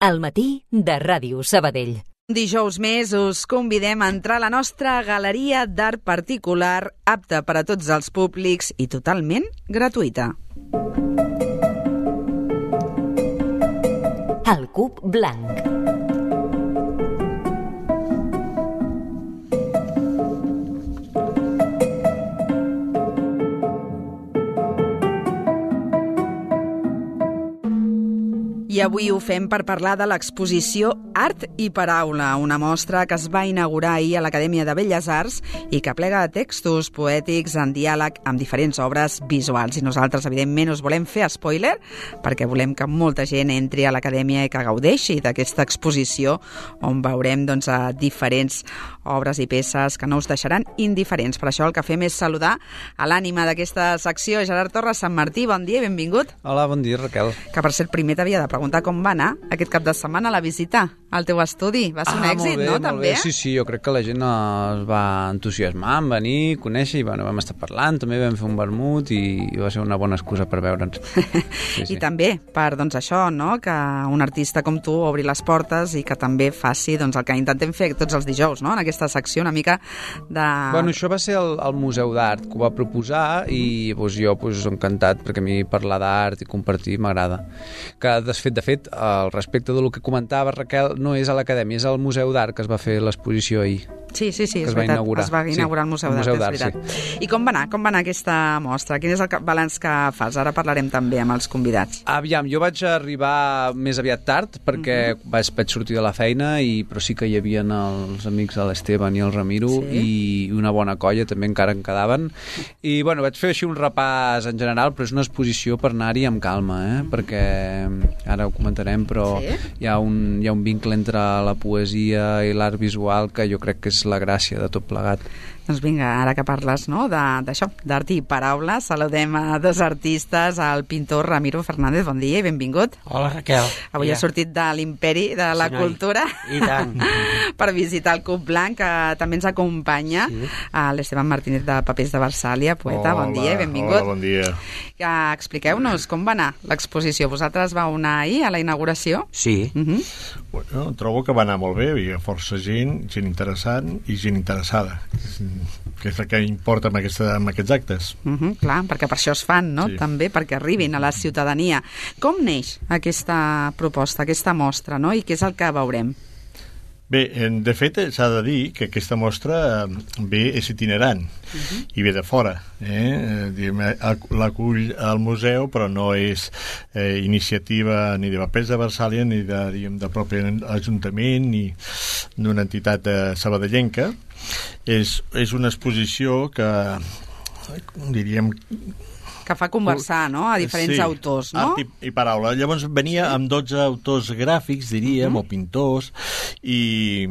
Al matí de Ràdio Sabadell. Dijous més us convidem a entrar a la nostra galeria d'art particular, apta per a tots els públics i totalment gratuïta. El Cub Blanc. I avui ho fem per parlar de l'exposició Art i Paraula, una mostra que es va inaugurar ahir a l'Acadèmia de Belles Arts i que plega textos poètics en diàleg amb diferents obres visuals. I nosaltres, evidentment, us volem fer spoiler perquè volem que molta gent entri a l'Acadèmia i que gaudeixi d'aquesta exposició on veurem diferents obres i peces que no us deixaran indiferents. Per això el que fem és saludar a l'ànima d'aquesta secció, Gerard Torres Sant Martí. Bon dia i benvingut. Hola, bon dia, Raquel. Que per ser primer t'havia de preguntar com va anar aquest cap de setmana la visita al teu estudi. Va ser un èxit, no? També? Sí, jo crec que la gent es va entusiasmar en venir, conèixer, i vam estar parlant, també vam fer un vermut i va ser una bona excusa per veure'ns. Sí. I també per això, no? Que un artista com tu obri les portes i que també faci el que intentem fer tots els dijous, no? En aquesta secció una mica de... Bueno, això va ser el Museu d'Art que ho va proposar i jo encantat, perquè a mi parlar d'art i compartir m'agrada. Que de fet, al respecte del que comentava Raquel, no és a l'Acadèmia, és al Museu d'Art que es va fer l'exposició ahir. Sí, és veritat, es va inaugurar el Museu d'Art, és veritat. Sí. I com va anar aquesta mostra? Quin és el balanç que fas? Ara parlarem també amb els convidats. Aviam, jo vaig arribar més aviat tard perquè vaig sortir de la feina, però sí que hi havia els amics de l'Esteban i el Ramiro i una bona colla també encara en quedaven. I vaig fer així un repàs en general, però és una exposició per anar-hi amb calma, perquè ara ho comentarem, però hi ha un vincle entre la poesia i l'art visual que jo crec que és la gràcia de tot plegat. Doncs vinga, ara que parles d'això, d'art i paraula, saludem a dos artistes, el pintor Ramiro Fernández. Bon dia i benvingut. Hola, Raquel. Avui ha sortit de l'imperi de la cultura i tant. Per visitar el Cub Blanc, que també ens acompanya l'Esteban Martínez de Papers de Versàlia, poeta. Bon dia i benvingut. Hola, bon dia. Expliqueu-nos com va anar l'exposició. Vosaltres vau anar ahir a la inauguració? Sí. Bueno, trobo que va anar molt bé, hi havia força gent interessant i gent interessada, que és el que importa amb aquests actes. Clar, perquè per això es fan, no? Sí. També perquè arribin a la ciutadania. Com neix aquesta proposta, aquesta mostra, no? I què és el que veurem? Bé, de fet, s'ha de dir que aquesta mostra és itinerant i ve de fora. L'acull al museu, però no és iniciativa ni de Papers de Versàlia ni de propi Ajuntament ni d'una entitat sabadellenca. És una exposició que diríem que fa conversar, no?, a diferents autors, no? Art i paraula. Llavors venia amb 12 autors gràfics, diríem, o pintors, i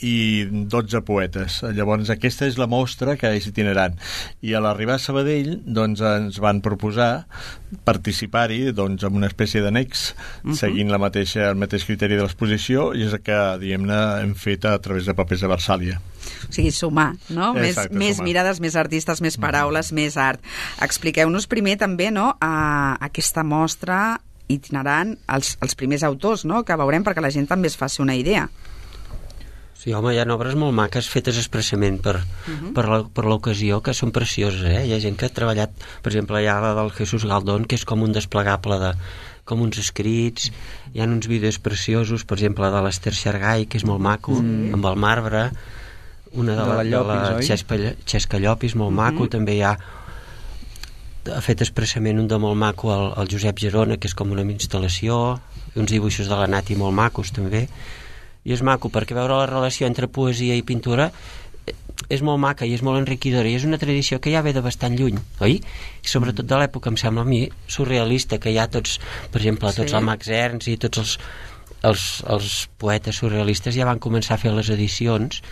12 poetes. Llavors aquesta és la mostra que és itinerant. I a l'arribar a Sabadell ens van proposar participar-hi amb una espècie d'annex, seguint el mateix criteri de l'exposició, i és el que, diguem-ne, hem fet a través de Papers de Versàlia. O sigui, sumar, no? Exacte, més mirades, més artistes, més paraules, més art. Expliqueu-nos primer també, no?, a aquesta mostra itinerant els primers autors, no?, que veurem perquè la gent també es faci una idea. Sí, home, hi ha obres molt maques fetes expressament per l'ocasió, que són precioses, Hi ha gent que ha treballat, per exemple, hi ha la del Jesús Galdón, que és com un desplegable com uns escrits, hi ha uns vídeos preciosos, per exemple, de l'Ester Xargai, que és molt maco, amb el marbre, una de la Xesca Llopis, molt maco, també hi ha fet expressament un de molt maco el Josep Gerona, que és com una instal·lació, uns dibuixos de la Nati molt macos també, i és maco perquè veure la relació entre poesia i pintura és molt maca i és molt enriquidora i és una tradició que ja ve de bastant lluny, oi? I sobretot de l'època, em sembla a mi, surrealista, que hi ha tots, per exemple, tots el Max Ernst i tots els poetes surrealistes ja van començar a fer les edicions,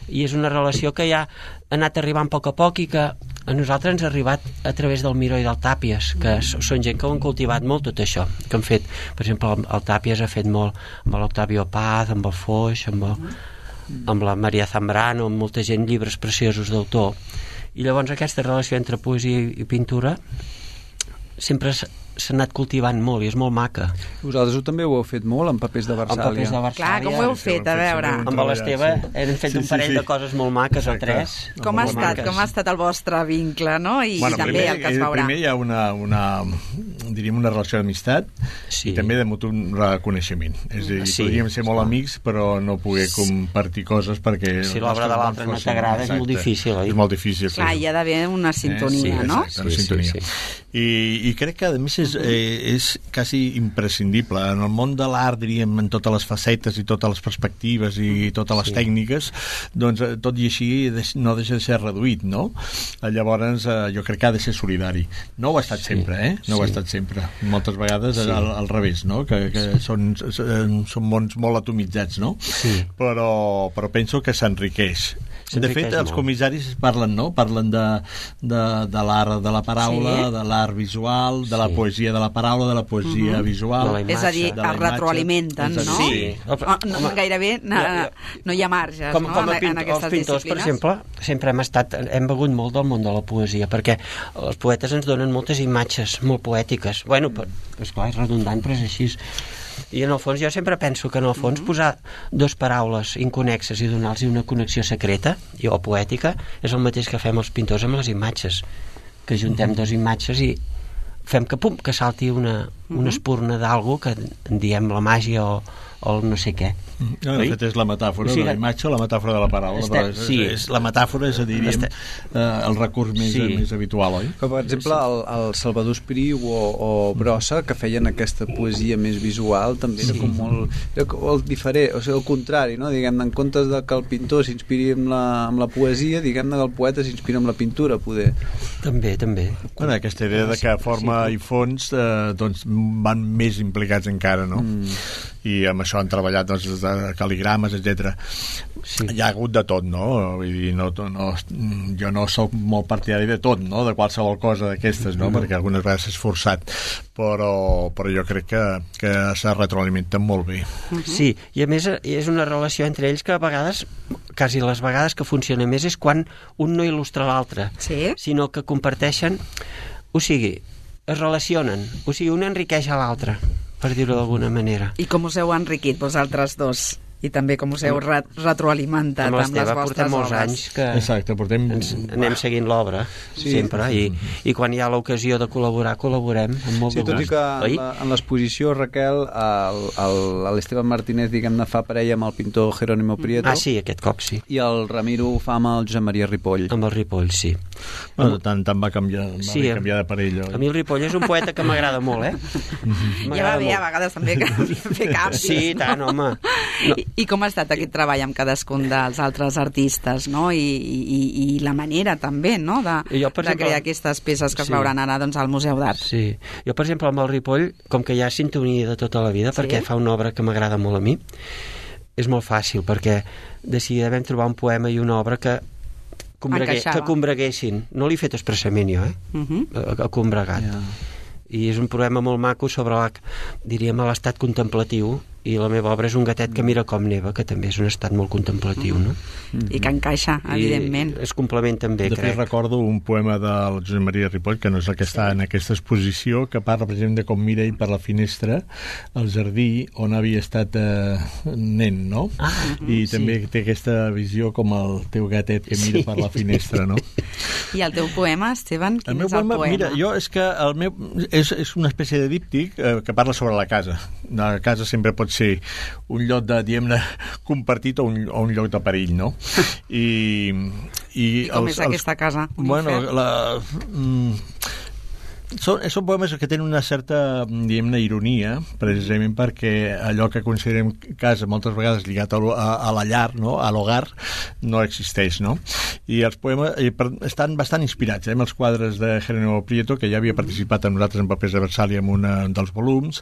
i és una relació que ja ha anat arribant a poc i que a nosaltres ens ha arribat a través del Miró i del Tàpies, que són gent que ho han cultivat molt tot això, que han fet, per exemple, el Tàpies ha fet molt amb l'Octavio Paz, amb el Foix, amb la Maria Zambrano, amb molta gent, llibres preciosos d'autor, i llavors aquesta relació entre poesia i pintura sempre s'ha anat cultivant molt i és molt maca. Vosaltres també ho heu fet molt en papers de En Versàlia. papers de Versàlia. Clar, com ho heu fet, a veure? Amb l'Esteve hem fet un parell de coses molt maques, o tres. Com ha estat el vostre vincle, no? I també el que es veurà. Primer hi ha diríem una relació d'amistat i també de mutu reconeixement. És a dir, podríem ser molt amics, però no poder compartir coses perquè... Si l'obra de l'altre no t'agrada és molt difícil, oi? És molt difícil. Clar, hi ha d'haver una sintonia, no? Exacte, una sintonia. I crec que, a més, és quasi imprescindible. En el món de l'art, diríem, en totes les facetes i totes les perspectives i totes les tècniques, doncs, tot i així, no deixa de ser reduït, no? Llavors, jo crec que ha de ser solidari. No ho ha estat sempre, No ho ha estat sempre. Moltes vegades al revés, no? Que són mons molt atomitzats, no? Sí. Però penso que s'enriqueix. De fet, els comissaris parlen, no? Parlen de l'art de la paraula, de l'art visual, de la poesia de la paraula, de la poesia visual... És a dir, es retroalimenten, no? Sí. Gairebé no hi ha marges, no? En aquestes els pintors, per exemple, sempre hem begut molt del món de la poesia, perquè els poetes ens donen moltes imatges molt poètiques. Bueno, esclar, és redundant, però és així. I en el fons jo sempre penso que en el fons posar dues paraules inconexes i donar-los una connexió secreta o poètica és el mateix que fem els pintors amb les imatges, que juntem dues imatges i fem que salti una espurna d'algú que en diem la màgia o el no sé què. De fet, és la metàfora de la imatge o la metàfora de la paraula. La metàfora és, diríem, el recurs més habitual, oi? Per exemple, el Salvador Espriu o Brossa, que feien aquesta poesia més visual, també era com molt diferent, o sigui, el contrari, no? Diguem-ne, en comptes de que el pintor s'inspiri amb la poesia, diguem-ne que el poeta s'inspira amb la pintura, poder. També. Bueno, aquesta idea de que forma i fons doncs van més implicats encara, no? I amb això han treballat doncs, cal·ligrames, etc. Hi ha hagut de tot, no? Vull dir, jo no soc molt partidari de tot, no? De qualsevol cosa d'aquestes, no? Perquè algunes vegades és forçat, però jo crec que se retroalimenten molt bé. Sí, i a més és una relació entre ells que a vegades, quasi les vegades que funciona més és quan un no il·lustra l'altre, sinó que comparteixen, o sigui, es relacionen, o sigui, un enriqueix a l'altre, per dir-ho d'alguna manera. I com us heu enriquit vosaltres dos? I també com us heu retroalimentat amb les vostres obres. Portem molts anys que anem seguint l'obra, sempre, i quan hi ha l'ocasió de col·laborem amb molt de gust. Tot i que en l'exposició, Raquel, l'Esteban Martínez, diguem-ne, fa parella amb el pintor Jerónimo Prieto. Ah, sí, aquest cop sí. I el Ramiro ho fa amb el Josep Maria Ripoll. Amb el Ripoll, sí. Bueno, tant va canviar de parell. A mi el Ripoll és un poeta que m'agrada molt, Ja va bé, a vegades també fer canvis. Sí, tant, home. I com ha estat aquest treball amb cadascun dels altres artistes, no? I la manera també, no? De crear aquestes peces que es veuran ara doncs, al Museu d'Art. Sí. Jo, per exemple, amb el Ripoll, com que hi ha sintonia de tota la vida, perquè fa una obra que m'agrada molt a mi, és molt fàcil, perquè de seguida vam trobar un poema i una obra que combreguessin. No l'he fet expressament jo, ha combregat. I és un poema molt maco sobre l'estat contemplatiu, i la meva obra és un gatet que mira com neva, que també és un estat molt contemplatiu, no? I que encaixa, evidentment. I es complementen bé, crec. De fet, recordo un poema del Josep Maria Ripoll, que no és el que està en aquesta exposició, que parla, per exemple, de com mira ell per la finestra al jardí on havia estat nen, no? I també té aquesta visió com el teu gatet que mira per la finestra, no? I el teu poema, Esteban, quin és el poema? Mira, és que el meu és una espècie de díptic que parla sobre la casa. La casa sempre pot ser un lloc de, diguem-ne, compartit o un lloc de perill, no? I com és aquesta casa? Bueno, són poemes que tenen una certa, diguem-ne, ironia, precisament perquè allò que considerem casa moltes vegades lligat a la llar, no? A l'hogar, no existeix, no? I els poemes estan bastant inspirats amb els quadres de Jerónimo Prieto, que ja havia participat amb nosaltres en Papers de Versàlia en un dels volums,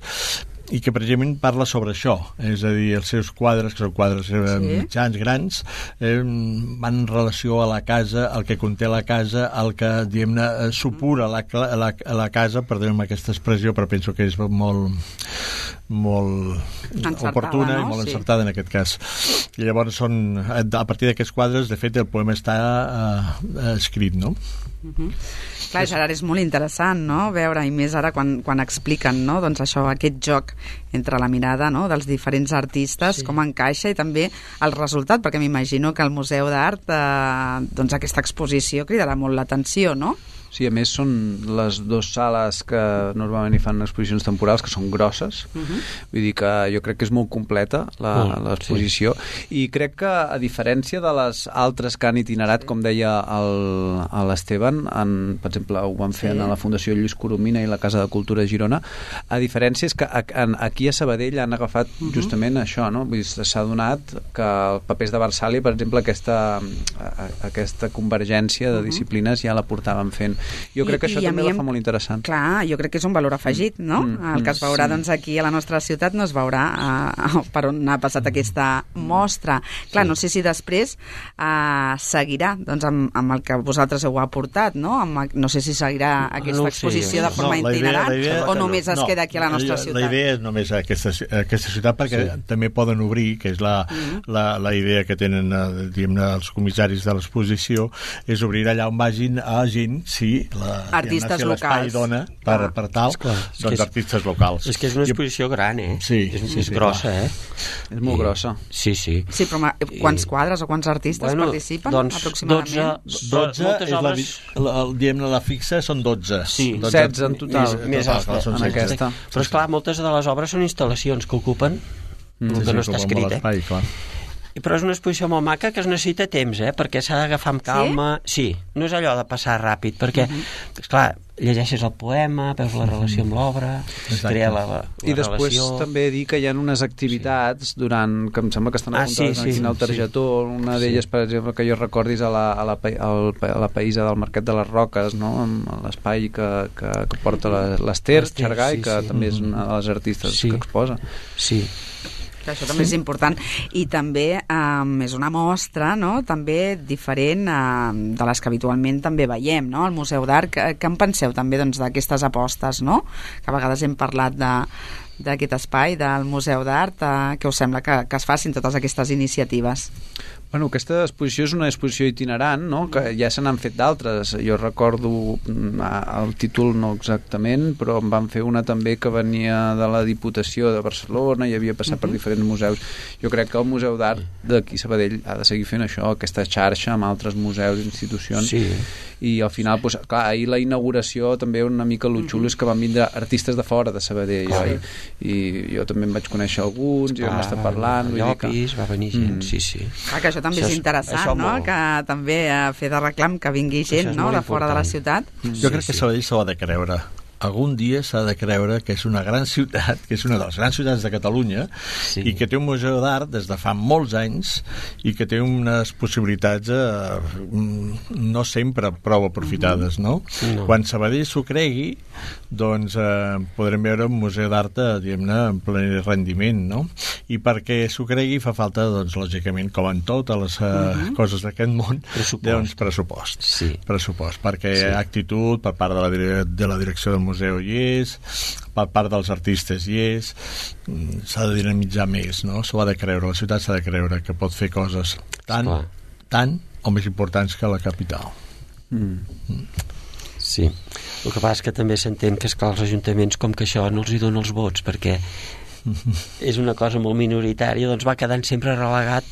i que precisament parla sobre això, és a dir, els seus quadres, que són quadres mitjans, grans, van en relació a la casa, el que conté la casa, el que, diguem-ne, supura la casa, per dir-me aquesta expressió, però penso que és molt oportuna i molt encertada en aquest cas. I llavors a partir d'aquests quadres, de fet, el poema està escrit, no? Clar, Gerard, és molt interessant, no?, veure, i més ara quan expliquen, no?, doncs això, aquest joc entre la mirada, no?, dels diferents artistes, com encaixa, i també el resultat, perquè m'imagino que al Museu d'Art doncs aquesta exposició cridarà molt l'atenció, no? Sí, a més són les dues sales que normalment hi fan exposicions temporals, que són grosses, vull dir que jo crec que és molt completa l'exposició, i crec que a diferència de les altres que han itinerat, com deia l'Esteban, per exemple ho van fer a la Fundació Lluís Coromina i la Casa de Cultura de Girona, a diferència és que aquí a Sabadell han agafat justament això, no? Vull dir, s'ha donat que el Papers de Versàlia, per exemple, aquesta convergència de disciplines ja la portaven fent. Jo crec que això també la fa molt interessant. Clar, jo crec que és un valor afegit, no? El que es veurà doncs, aquí a la nostra ciutat no es veurà per on ha passat aquesta mostra. Clar, no sé si després seguirà doncs, amb el que vosaltres heu aportat, no? No sé si seguirà aquesta exposició de forma itinerant o només es queda aquí a la nostra ciutat. La idea és només aquesta ciutat, perquè també poden obrir, que és la idea que tenen els comissaris de l'exposició, és obrir allà on vagin a gent, artistes locals. L'espai dona per tal, doncs artistes locals. És que és una exposició gran, Sí. És grossa, És molt grossa. Sí. Sí, però quants quadres o quants artistes participen? Doncs aproximadament? 12, la fixa són 12. Sí, 16 en total. Més en aquesta. Però esclar, moltes de les obres són instal·lacions que ocupen el que no està escrit, però és una exposició molt maca que es necessita temps, perquè s'ha d'agafar amb calma. Sí, no és allò de passar ràpid, perquè, esclar, llegeixes el poema, veus la relació amb l'obra, es crea la relació. I després també dir que hi ha unes activitats durant, que em sembla que estan apuntades aquí en el targetó, una d'elles, per exemple, que jo recordis a la païsa del Mercat de les Roques, no?, amb l'espai que porta l'Ester Xargai, que també és una de les artistes que exposa. Sí. Que això també és important, i també és una mostra, no?, també diferent de les que habitualment també veiem, no?, al Museu d'Art. Què en penseu també doncs, d'aquestes apostes, no?, que a vegades hem parlat d'aquest espai del Museu d'Art, que us sembla que es facin totes aquestes iniciatives? Bueno, aquesta exposició és una exposició itinerant, no?, que ja se n'han fet d'altres. Jo recordo el títol no exactament, però en van fer una també que venia de la Diputació de Barcelona i havia passat per diferents museus. Jo crec que el Museu d'Art d'aquí Sabadell ha de seguir fent això, aquesta xarxa amb altres museus i institucions. I al final, doncs, clar, ahir la inauguració també una mica el xulo és que van vindre artistes de fora de Sabadell, i jo també em vaig conèixer alguns i vam estar parlant. Llopis, va venir gent, sí. Que això també és interessant, no?, que també fer de reclam que vingui gent, no?, de fora de la ciutat. Jo crec que Sabadell s'ho ha de creure. Algun dia s'ha de creure que és una gran ciutat, que és una de les grans ciutats de Catalunya, i que té un museu d'art des de fa molts anys i que té unes possibilitats no sempre prou aprofitades, no? Quan Sabadell s'ho cregui, doncs podrem veure un museu d'art, diguem-ne, en ple rendiment, no? I perquè s'ho cregui fa falta, doncs, lògicament, com en totes les coses d'aquest món, doncs pressupost. Pressupost, perquè actitud per part de la direcció del museu hi és, per part dels artistes hi és, s'ha de dinamitzar més, no? S'ho ha de creure, la ciutat s'ha de creure que pot fer coses tan o més importants que la capital. Sí, el que passa és que també s'entén que, esclar, els ajuntaments, com que això no els hi dona els vots, perquè és una cosa molt minoritària, doncs va quedant sempre relegat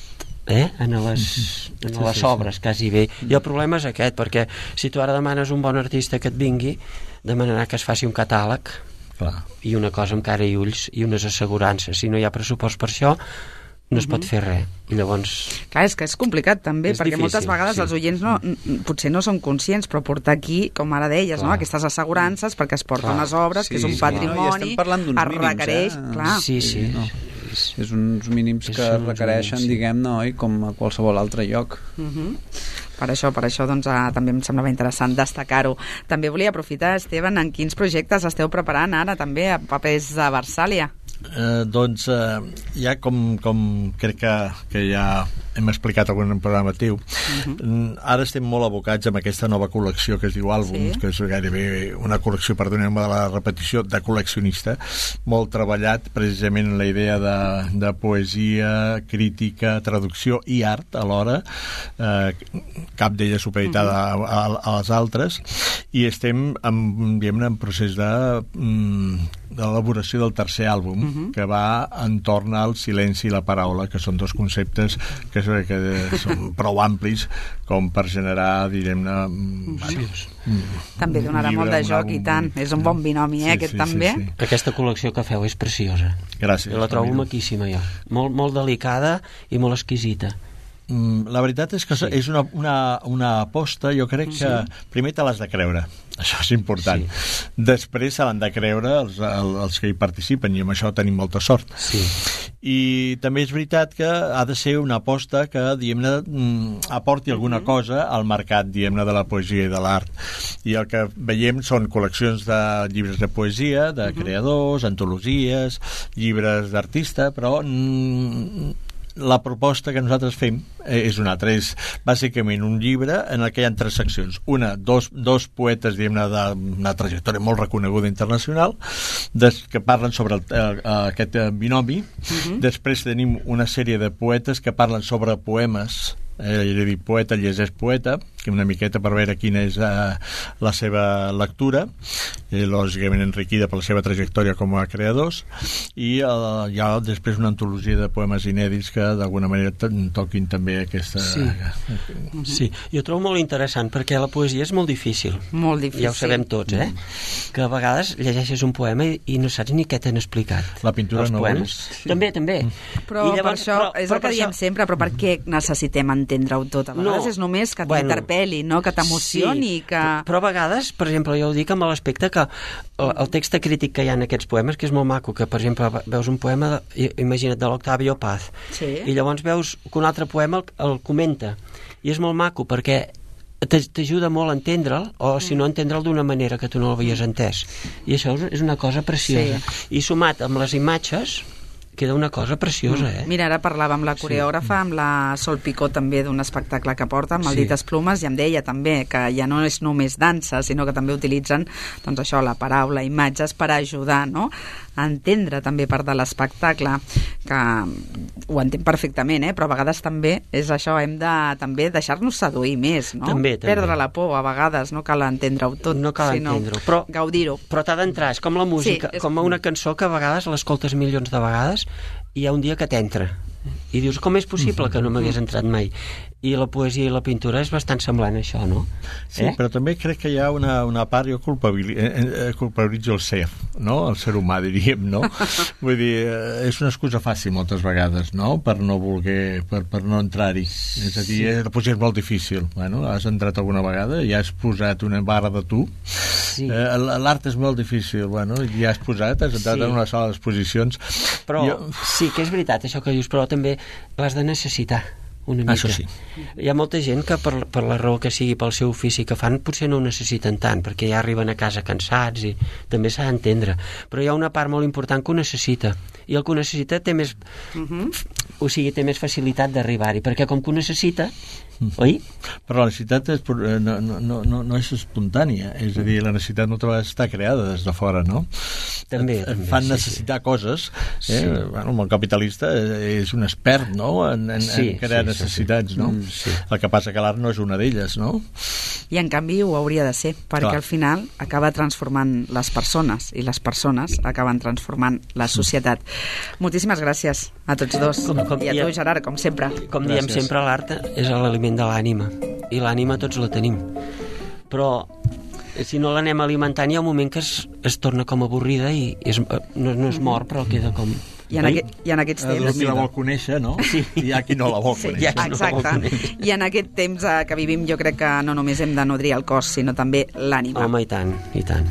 en les obres, quasi bé. I el problema és aquest, perquè si tu ara demanes un bon artista que et vingui, demanarà que es faci un catàleg i una cosa amb cara i ulls i unes assegurances. Si no hi ha pressupost per això, no es pot fer res. I llavors... Clar, és que és complicat també, perquè moltes vegades els oients potser no són conscients, però portar aquí, com ara deies, no? Aquestes assegurances perquè es porten unes obres, que és un patrimoni, es requereix... Sí. És uns mínims que requereixen, diguem-ne, oi, com a qualsevol altre lloc. Per això doncs, també em semblava interessant destacar-ho. També volia aprofitar, Esteban, en quins projectes esteu preparant ara també a Papers de Versàlia? Doncs ja com crec que ja hem explicat algun programa teu. Ara estem molt abocats amb aquesta nova col·lecció que es diu Àlbums, que és gairebé una col·lecció, perdoneu-me de la repetició, de col·leccionista, molt treballat precisament en la idea de poesia, crítica, traducció i art alhora, cap d'ella supeditada a les altres, i estem en procés d'elaboració del tercer àlbum, que va entorn al silenci i la paraula, que són dos conceptes que són prou amplis com per generar, direm-ne... També donarà molt de joc i tant. És un bon binomi, aquest també. Aquesta col·lecció que feu és preciosa. Gràcies. Jo la trobo maquíssima, jo. Molt delicada i molt exquisita. La veritat és que és una aposta, jo crec que primer te l'has de creure, això és important. Després se l'han de creure els que hi participen, i amb això tenim molta sort. I també és veritat que ha de ser una aposta que, diguem-ne, aporti alguna cosa al mercat, diguem-ne, de la poesia i de l'art. I el que veiem són col·leccions de llibres de poesia, de creadors, antologies, llibres d'artista, però la proposta que nosaltres fem és una altra, és bàsicament un llibre en el que hi ha 3 seccions. Dos poetes, diguem-ne, d'una trajectòria molt reconeguda internacional, que parlen sobre aquest binomi. Després tenim una sèrie de poetes que parlen sobre poemes, he dit poeta, llegeix poeta, que una miqueta per veure quina és la seva lectura, lògicament enriquida per la seva trajectòria com a creadors, i hi ha després una antologia de poemes inèdits que d'alguna manera toquin també aquesta... Sí, jo trobo molt interessant, perquè la poesia és molt difícil. Molt difícil. Ja ho sabem tots, que a vegades llegeixes un poema i no saps ni què t'han explicat. La pintura no ho és. També. Però per això, és el que diem sempre, però per què necessitem entendre-ho tot? A vegades és només que t'interpel·li, no? Que t'emocioni. Però a vegades, per exemple, jo ho dic amb l'aspecte que el text crític que hi ha en aquests poemes, que és molt maco, que per exemple veus un poema, imagina't, de l'Octavio Paz, i llavors veus que un altre poema el comenta, i és molt maco perquè t'ajuda molt a entendre'l, o si no entendre'l d'una manera que tu no l'havies entès, i això és una cosa preciosa, i sumat amb les imatges queda una cosa preciosa, Mira, ara parlava amb la coreògrafa, amb la Sol Picó, també d'un espectacle que porta, Maldites Plumes, i em deia també que ja no és només dansa, sinó que també utilitzen, doncs això, la paraula, imatges, per ajudar, no?, a entendre també part de l'espectacle, que ho entenc perfectament, però a vegades també és això, hem de també deixar-nos seduir més, no? També. Perdre la por, a vegades, no cal entendre-ho tot, no cal entendre-ho, però gaudir-ho. Però t'ha d'entrar, és com la música, com una cançó que a vegades l'escoltes milions de vegades i hi ha un dia que t'entra i dius, com és possible que no m'hagués entrat mai? I la poesia i la pintura és bastant semblant a això, no? Sí, però també crec que hi ha una part, jo culpabilitzo el ser, no? El ser humà, diríem, no? Vull dir, és una excusa fàcil moltes vegades, no? Per no voler, per no entrar-hi. És a dir, la poesia és molt difícil. Bueno, has entrat alguna vegada i has posat una barra de tu. L'art és molt difícil, bueno, i has entrat en una sala d'exposicions. Però sí que és veritat això que dius, però també l'has de necessitar una mica. Això sí. Hi ha molta gent que per la raó que sigui, pel seu ofici que fan, potser no ho necessiten tant, perquè ja arriben a casa cansats i també s'ha d'entendre. Però hi ha una part molt important que ho necessita, i el que ho necessita té més o sigui, té més facilitat d'arribar-hi, perquè com que ho necessita, oi? Però la necessitat no és espontània, és a dir, la necessitat moltes vegades està creada des de fora, no? També. Fan necessitar coses. Bueno, el món capitalista és un expert, no?, en crear necessitats, no? El que passa que l'art no és una d'elles, no? I en canvi ho hauria de ser, perquè al final acaba transformant les persones, i les persones acaben transformant la societat. Moltíssimes gràcies a tots dos, i a tu, Gerard, com sempre. Com diem sempre, l'art és l'aliment de l'ànima, i l'ànima tots la tenim, però si no l'anem alimentant hi ha un moment que es torna com avorrida i no es mor, però queda com... I en aquests temps... Qui la vol conèixer, no? Sí. I hi ha qui no la vol conèixer. Exacte. I en aquest temps que vivim jo crec que no només hem de nodrir el cos, sinó també l'ànima. Home, i tant, i tant.